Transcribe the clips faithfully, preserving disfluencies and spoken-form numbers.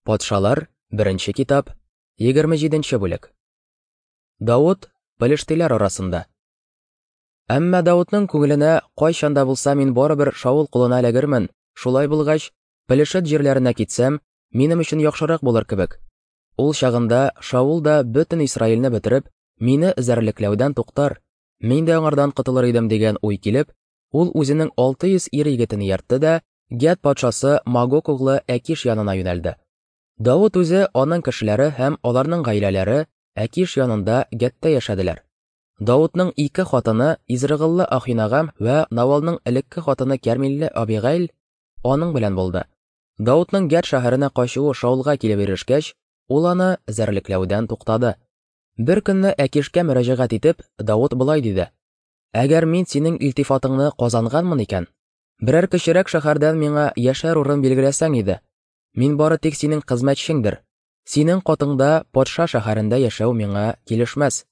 Патшалар, беренче китап, егерме җиденче бүлек. Давыт пелештиләр арасында. Әмма Давытның күңеленә кайчан да булса мин барыбер Шаул кулына эләгермен, шулай булгач, Пелешет җирләренә китсәм, минем өчен яхшырак булыр кебек. Ул чагында Шаул да бөтен Исраилне бетереп, мине эзәрлекләүдән туктар, мин дә аңардан котылыр идем дигән уй килеп, ул үзенең алты йөз ир егетен ияртте дә Гәт патшасы Магок углы Әкиш янына юнәлде. Давыт үзе, аның кешеләре һәм аларның гаиләләре Әкиш янында Гәттә яшәделәр. Давытның ике хатыны Изрыгыллы Ахинагам вә Навалның элекке хатыны Кәрмилле Абигайль аның белән булды. Давытның Гәт шәһәренә качуы Шаулга килеп ирешкәч, ул аны эзәрлекләүдән туктады. Бер көнне Әкишкә мөрәҗәгать итеп, Давыт болай диде: Әгәр мин синең илтифатыңны казанганмын икән, берәр кечерәк шәһәрдән миңа яшәр урын билгеләсәң иде. Мин бары тик синең хезмәтчеңдер. Синең катыңда патша шәһәрендә яшәү миңа килешмәс.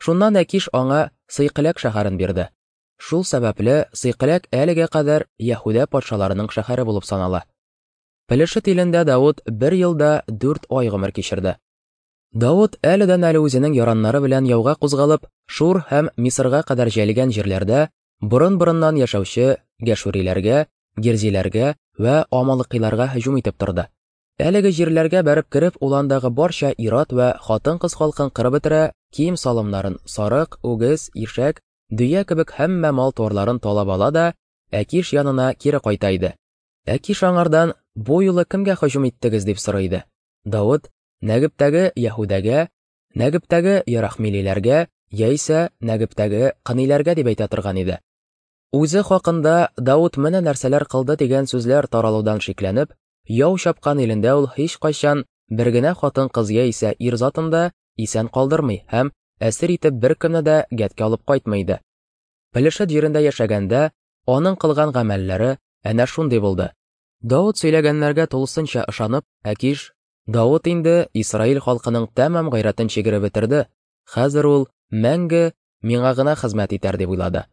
Шуннан Әкиш аңа Сыйкыләк шәһәрен бирде. Шул сәбәпле Сыйкыләк әлегә кадәр Яһүдә патшаларының шәһәре булып санала. Пелешет илендә Давыт бер елда дүрт ай гомер кичерде. Давыт әледән әле үзенең яраннары белән яуга кузгалып, Шур һәм Мисырга кадәр җәелгән җирләрдә борын-борыннан яшәүче гәшүриләргә, герзиләргә вә амалыкыйларга һөҗүм итеп торды. Әлеге җирләргә бәреп кереп, ул андагы барча ир-ат вә хатын-кыз халкын кырып бетерә, кием-салымнарын, сарык, үгез, ишәк, дөя кебек һәммә мал-туарларын талап ала да Әкиш янына кире кайта иде. Әкиш аңардан: "Бу юлы кемгә һөҗүм иттегез?" дип сорый иде. Давыт: "Нәгептәге Яһүдәгә, Нәгептәге Ярахмилиләргә яисә Нәгептәге Кыниләргә" дип әйтә торган иде. Үзе хакында Давыт менә нәрсәләр кылды дигән сүзләр таралудан шикләнеп, яу чапкан илендә ул һич кайчан бер генә хатын-кыз яисә ир затын да исән калдырмый һәм әсир итеп беркемне дә Гәткә алып кайтмый иде. Пелешет җирендә яшәгәндә аның кылган гамәлләре әнә шундый булды. Давыт сөйләгәннәргә тулысынча ышанып, Әкиш: "Давыт инде Исраил халкының тәмам гайрәтен чигереп бетерде, хәзер ул мәңге миңа гына хезмәт итәр" дип уйлады.